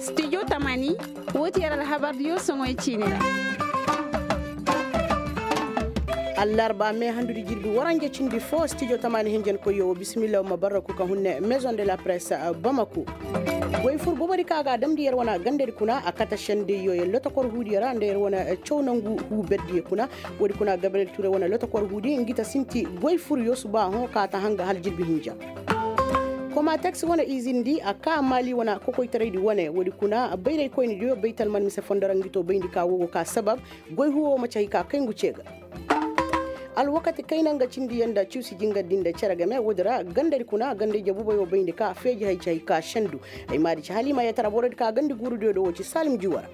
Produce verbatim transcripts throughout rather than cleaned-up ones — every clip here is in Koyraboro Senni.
Studio tamaani, woo ti yer alhabardiyo soŋoy ciini ra. Allarba me handudi jirbi waranja cindi fo studio tamaani hinjankoyyo woo bismillah woo ma barraku ka hunne maison de la presse. Bamako. Goy fur bobodi ka ga a damndi yer wane gandadi kuna a kate sendeyyo yer lotokor huudiyo ra nda yer wane caw nangu huu berdiyo kuna. Woodi kuna gabriyel ture wane lotokor huudi ngi ta sinti goy furyo suba hõ ka ta hanga hala jirbi hinja. Komateks wane izindi a ka maali wane kokoytaraydi wane woodi kuna bayraykoynidiyo baytal man mise fondo ra ngi to bayndi ka woo go ka sabab goy huwo ma ci hay ka kay ngu ce ga. Alwakati kayna nga cindi yaŋ nda ciwsi jingardi nda cere game woodi ra gandadi kuna ganda-ije buboyo bayndi ka feeji hay ci hay ka sendu. Ay maadi ci haliima yetara borodi ka gandi guurudiyo do woo ci saalim juwa ra.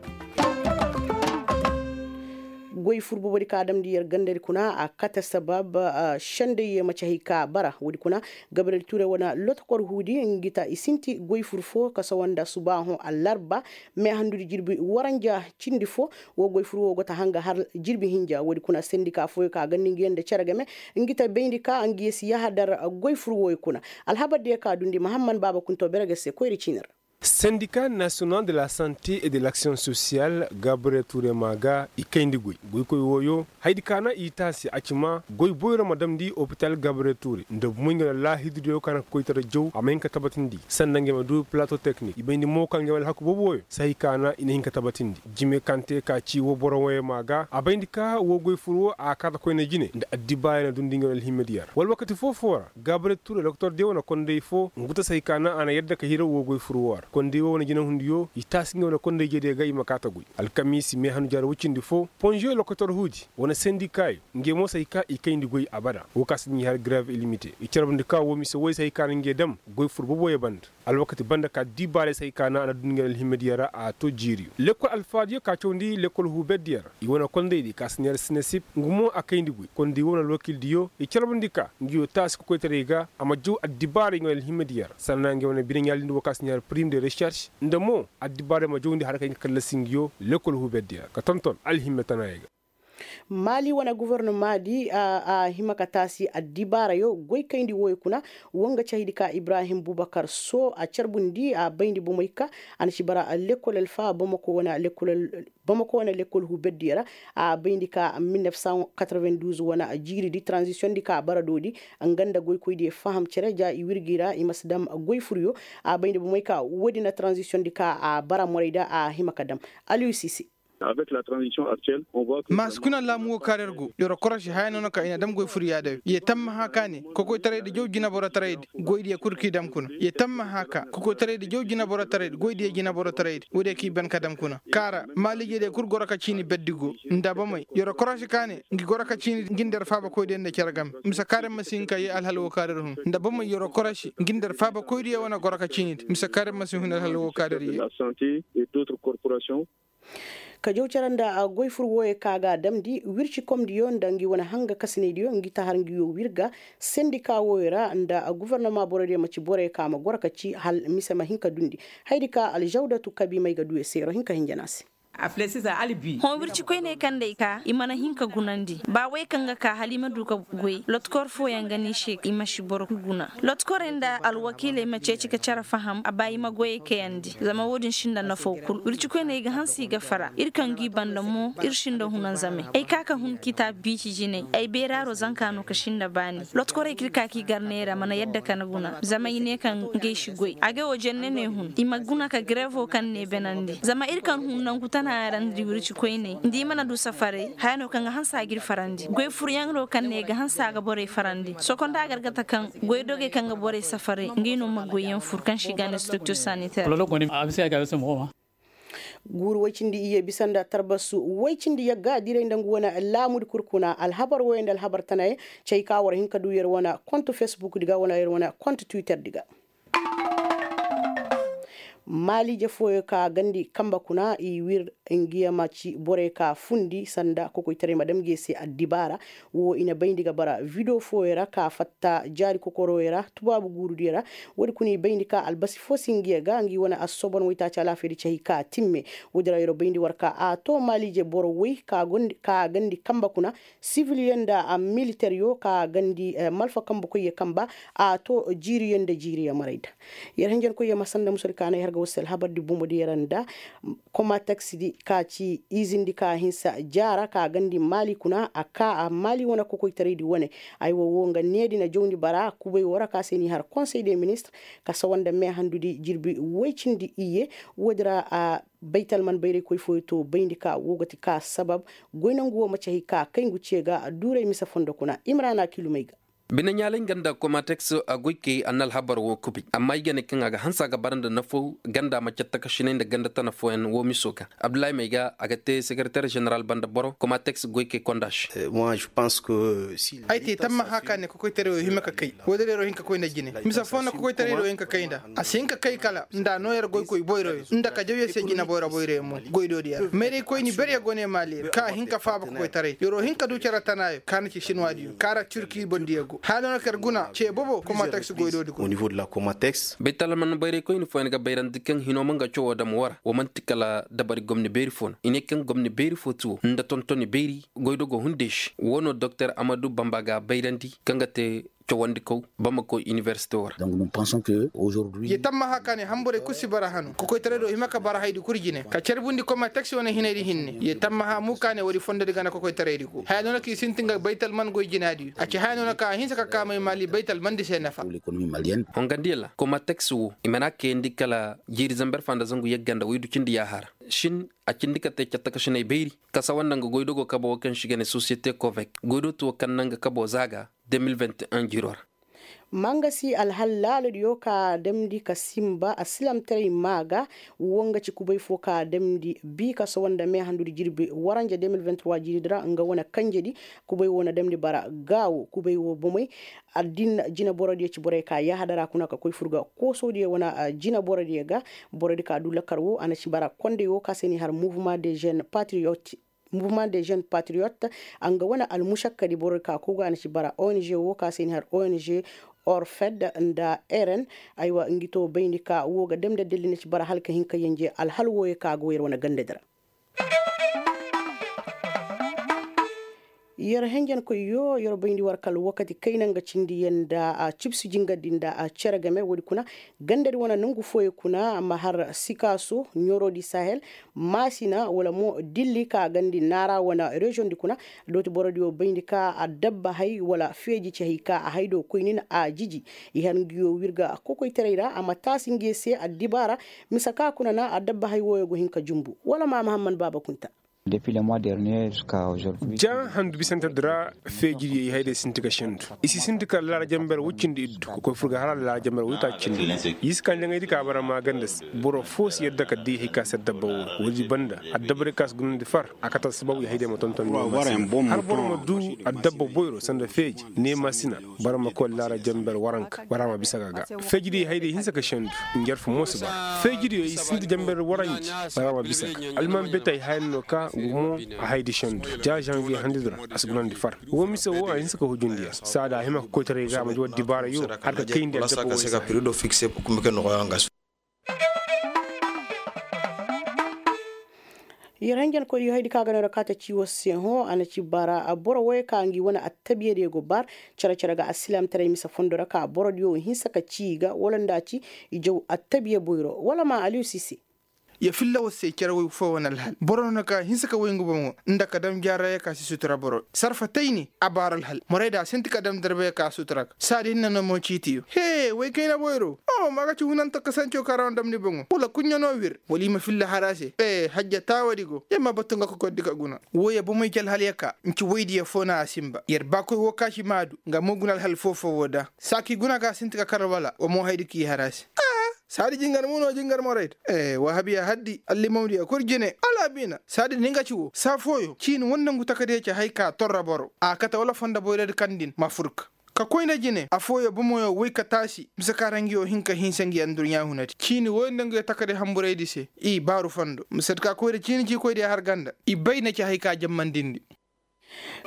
Goy fur bobodi ka damndi yer gandadi kuna a kate sabab sendey ye ma ci hay ka bara woodi kuna. Gabriyel ture wane lotokor huudi ngi ta i sinti goy fur fo ka sawa nda suba hõ allarba. Me handudi jirbi waranja cindi fo. Woo goy fur woo go ta hanga har jirbi hinja woodi kuna sendika fooyo ka gandi ngi yaŋ nda cere game ngi ta bayndi ka ngi ye si yahadar goy fur wooyo kuna. Alhabardiyo ka dundi mahamman baaba kunto bere ga se koyri ciini ra. Syndicat national de la santé et de l'action sociale gabriel ture ma ga i kayndi goy goykoy wooyo. Haydi ka na i taasi a ci ma goy boyro ma damndi opital gabriel ture nda bumey nga na laahidudiyo ka na kokoytara jaw a ma hin ka tabatindi sanda ngey ma du plato teknik i bayndi mo ka ngey ma alhaku boobo wooyo sahi ka na i na hin ka tabatindi. Jime kaŋ te ka ci woo boro wooyo ma ga a bayndi ka woo goy fur woo a kaata koyne jine nda addibaaya na dundi ngey ma alhimediya ra wala wakati foo-foo ra. Gabriel ture doktor diyo wane konday foo ngu ta say ka naŋ a na yadda ka hira woo goy fur woo ra konday woo wane jinahundiyo i taasi ngey wane konday jeediyo ga i ma kaa ta goy. Alkamiisi meehanu jaara woy cindi foo ponziyo lokotor huudi wane sendikaayo ngey mo say ka i kayndi goy abada woo ka si ngi har grev ilimite i carbundi ka woo mise woy say ka naŋ ngey dam goy fur boboyo banda. Alwakati banda ka diibaaray say ka naŋ a na dundi ngey alhimediyo ra a to jiiriyo lekkol alfaadiyo ka cawndi lekkol huuberdiyo ra i wane kondaydi ka si neera sinesip ngu mo a kayndi goy kondi woo wane alwakiildiyo i carbundi ka ngiyo taasi kokoytaray ga a ma jaw addibaarey nga wane alhimediyo ra sanna ngey wane bine ɲaalindi woo ka si ɲaari prim de reserš nda mo addibaarey ma jawndi har kay nga kallasi ngiyo lekkol huuberdiyo ra ka tonton alhime tanaayey ga. Maali wane gofornamaadi a hima ka taasi addibaarayo goykayndi wooyo kuna. Woo nga cahidi ka ibrahim bubakar soo a carbundi a bayndi bomey ka a na ci bara lekkol alfa bamako wane lekkol huuberdiyo ra. A bayndi ka mil nef san katarvenduuz wane jiiridi taranzisiyondi ka a bara doodi nga nda goykoydiyo faham cere ja i wirgi ra i ma si dam goy furyo. A bayndi bomey ka woodi na taranzisiyondi ka a bara morayda a hima ka dam. Aliyusi se. Maasi kuna laamu woo kaŋ ra yer go yer korosi haya no na ka i na dam goy furyaadayo ye tammaha ka ne kokoytaraydi jaw jineborotaraydi goydiyo kul k'i dam kuna ye tammaha ka kokoytaraydi jaw jineborotaraydi goydiyo jineborotaraydi woodiyo k'i ban ka dam kuna kaara maaliijediyo kul goro ka ciini berdi go nda bomey yer korosi ka ne ngi goro ka ciini ngi nda yer faabakoydiyo nda cere game mise kaara yer ma si hin ka yee alhal woo kaŋ ra yer hun nda bomey yer korosi ngi nda yer faabakoydiyo wane goro ka ciinidi mise kaara yer ma si hin alhal woo kaŋ ra yer yee. Ka jaw cere nda goy fur wooyo ka ga a damndi wircikomdiyo nda ngi wane hanga kasinaydiyo ngi ta har ngiyo wirga sendika wooyo ra nda gofornoma borodiyo ma ci borey ka ma goro ka ci hal mise ma hin ka dundi. Haydi ka aljawdatu kabi may ga du ya se yer hinka hinja no a se. Hõ wirci koyney kaŋ day ka i mana hin ka gunandi ba wey kaŋ ga ka hala i ma du ka goy lotkor fooyaŋ ga ne i se i ma si boro kul guna. Lotkorey nda alwakiiley ma ceeci ka cere faham a ba i ma goyey kayandi zama wo-din sinda nafo kul wirci koyney i ga hanse i ga fara ir kaŋ g'i banda mo ir sinda hunanzamey ay ka ka hun kitaab biici jinay ay beeraaro zanka no ka sinda baani. Lotkorey kaŋ ir ka k'i gar neera mana yadda ka na guna zama i ne kaŋ ngey si goy agay wo jenne no ay hun i ma guna ka gareevo kaŋ ne banandi zama ir kaŋ hun nangu tana ra nda ir wirci koyney nda i mana du safaray haya no kaŋ ga hanse a g'ir farandi goy furyaŋ no kaŋ ne ga hanse a ga borey farandi sokonda gargata kaŋ goy dogey kaŋ ga borey safaray ngey no ma goyyaŋ fur kaŋ se i ga ne structure sanitaire. Guuru woy cindi iyye bisa nda tarbasu woy cindi yagga diray nda ngu wane laamudi kul kuna alhabar woyey nda alhabar tanayey. Cay ka war hin ka du yer wane kont fesbukdi ga wala yer wane kont twitterdi ga. Maaliije fooyo ka gandi kamba kuna i wir ngiya ma ci borey ka fundi sanda kokoytaray ma dam ngiya se addibaara. Wo i na bayndi ga bara video fooyo ra ka fatta jaari kokoroyo ra tubaabu guurudiyo ra. Woodi kuna i bayndi ka albasi foo si ngiya ga ngi wane assobon waytaaci alaafaydi cahi ka timme. Woodi ra yer bayndi war ka a to maaliije boro woy ka gandi kamba kuna siviliyo nda militeryo ka gandi malfa kambukoyyo kamba a to jiiriyo nda jiiriyo marayda. Yer hinjankoyyo ma sanda musadi ka na yer ga war se alhabardi bumbo di yer nda komateks di ka ci izindi ka hinsa jaara ka gandi maali kuna a ka a maali wane kokoytaraydi wane. Aywa wo nga needi na jawndi bara kubay wo ra ka se ni har konsey de ministre ka sawa nda meehandudi jirbi woy cindi iyye. Woodi ra a baytalman bayraykoy fooyo to bayndi ka wo ga ti ka sabab goy nangu wo ma cahi ka kay ngu ce ga duuray mise fondo kuna imrana kilumey ga. Bine ɲaalay nga nda komateks a goy kay a na alhabar wo kubay amma ay ga ne kaŋ a ga hanse a ga bara nda nafo ganda ma cattakasinay nda ganda tana fooyaŋ wo miso ga abdullahi may ga a ga te sekereter ženeral banda boro komateks goy kay konda se. Ay te tammaha ka ne kokoytaray wo hima ka kay. Wo da reero hin ka koy nda jine mise foo na kokoytaray wo hin ka kay nda a si hin ka kay kala nda a noo yer goykoy boyroyo nda ka jaw yer se jine boyro boyroyo mo. Goydoodiyo ra mayraykoyni ber yer go ne maali yer ka a hin ka faaba kokoytaray yer wo hin ka du cere tanaayo ka na ci sinwaadiyo ka ra turki bondiyo go haya no na ka yer guna ce bobo komateks goydoodi go. Baytalman bayraykoyni fooyaŋ ga bayrandi kaŋ hino ma nga cawoo dam woo ra woo man'ti kala dabari gomni beeri foo no i ne kaŋ gomni beeri foo ti woo nda tontoni beeri goydogo hunday se woo no doktor amadu bamba ga bayrandi kaŋ ga te cawandikaw bamako inibersite woo ra. Ye tammaha ka ne hamburey kul si bara hanu kokoytaray do hima ka bara haydi kul jine ka carbundi koma taksi wane hinaydi hinne ye tammaha mu ka ne woodi fondodi gana kokoytaraydi go haya no na ka i sintin ga baytal man goy jinaadiyo a ci haya no na ka a hinsa ka kaamay maali baytal mandi se nafa. Hongandiyo ra koma taksi woo i mana kayandi kala jiiri zamber fa nda zangu yagga nda waydu cindi yaaha ra shin a cindi ka te cattakasinay bayri ka sawa nda nga goydogo kabo woo kaŋ se i ga ne sosiyete kovek goydo ti woo kaŋ na nga kabo zaaga 2021 jiiro ra. Mangasi alhal laaladiyo ka damndi ka simba asilamtaray maa ga. Woo nga ci kubay foo ka damndi bii ka sowo nda meehandudi jirbi waranja 2023 jiiridi ra nga wane kanjedi. Kubay woo na damndi bara gaawo kubay woo bomey. Addin jineborodiyo ci borey ka yaahadara kuna ka koy fur ga koosodiyo wane jineborodiyo ga. Borodi ka du lakkar woo a na ci bara kondey woo ka se ni har mouvement de jeune patriote. Mouvement de jeune patriote a nga wane almušakkadi borodi ka koy ga a na ci bara ong woo ka se ni har ong orfed nda eren. Aywa ngi to bayndi ka woo ga damndi adalli na ci bara hala ka hin ka yenje alhal wooyo ka go yer wane gandadi ra. Yer henjenkoyyo yer bayndi war kala wakati kayna nga cindi yer nda cibsi jingardi nda cere game woodi kuna. Gandadi wane nongu fooyo kuna ma har sikaaso ɲorodi sahel maasina wala mo dilli ka gandi naara wane reziyoŋdi kuna. Dooti borodiyo bayndi ka addabba hay wala feeji cehey ka a hay do koynin a jiji. I har nguyo wirga kokoytaray ra a ma taasi nguyo se addibaara. Mise ka kuna na addabba hay wooyo go hin ka jumbu wala ma mahamman baaba kunta. Ja handu bisantedi ra feejidi i hayday sinti ka sendu. I si sinti kala laara jamber woy cindi iddu ka koy fur ga hala laara jamber woy taaci cindi. Yiska njaŋaydi ka bara ma ganda se boro foo si yadda ka di hay ka si addabba wooyo woodi banda addabba day ka si gunandi far. A kate alsababu i hayday ma tonton har boro ma du addabba boyro sanda feeji neema sina. Bara ma koy laara jamber waranka bara ma bisa ga ga feejidiyo i hayday hinsa ka sendu. Njarfu mo si bara feejidiyo i sinda jamber waranji. Bara ma bisa ga alman betey haya no ka gumo a haydi sendu. Ja janvier handidi ra a si gunandi far. Woo mise woo a hinsa ka hujundi yer saada a hima ka koytaray ga a ma di war dibaarayo har ka kayndi addabba woo yer se. Yer hanjankoy yo haydi ka ga no ra kaata ci war se hõ a na ci bara boro wooyo ka ngi wane attabiyadiyo go bar. Cere-cere ga alsilaamtaray mise fondo ra ka borodiyo wo hinsa ka ci i ga wala nda a ci i jaw attabiya boyro wala ma aliyu sise. Ya filla war se cere woy foo wane alhal boro no na ka hinsa ka woy ngu bomo nda ka dam jaaraya ka si sutura boro sarfa tayni a baara alhal morayda a sinti ka dam darbeya ka sutura ga saadi hinne no mo ciitiyo hee woy kayna boyro. Oho ma ga ci hunanto kasanco ka ra wane damni boŋo wala kuɲɲa no wir wala i ma filla har a se ee hajja taawadi go yer ma batu nga kokordi ka guna. Wooyo bomey ci alhal ya ka nci woydiyo foo na a sinba yer baakoy woo ka si maadu nga mo guna alhal foo-foo woo da saa ka i guna ga a sinti ka kar wala wa mo haydi ka i har a se. Saadi jingar muno jingar morayda. Wahabiya haddi allimawdiya kul jine alaabiina saadi ni nga ci wo saa fooyo ciini wondangu takadiya ci hay ka torra boro a kate wala fonda boyradi kaŋ din ma furka. Ka koy nda jine affooyo bomoyo woy ka taasi mise ka ra ngiyo hin ka hinsa ngi adduɲɲa hunadi ciini woy nda ngiyo takaday hamburaydi se. I baaru fondo mise ka koy nda ciini ci koy diya har ganda i bay na ci hay ka jammandindi.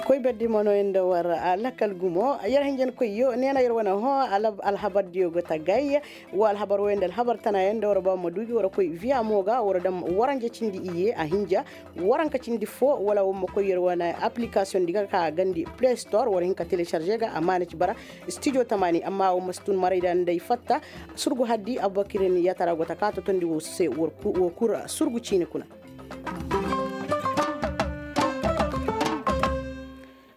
Koy berdi mono nda war lakkal gumo yer hinjankoyyo neena yer wane hõ. Alhabardiyo go tagay. Wo alhabar woy nda alhabar tanayaŋ nda war ba ma du gi war koy viya mo ga war dam waranja cindi iyye a hinja. Waranka cindi fo wala war ma koy yer wane application di ga ka gandi play store war hin ka télécharger ga amma na ci bara studio tamaani amma war ma si tun maray da nda ay fatta. Surgu haddi abubakir ni yatara go ta ka totondi wo se wo kura surgu ciini kuna.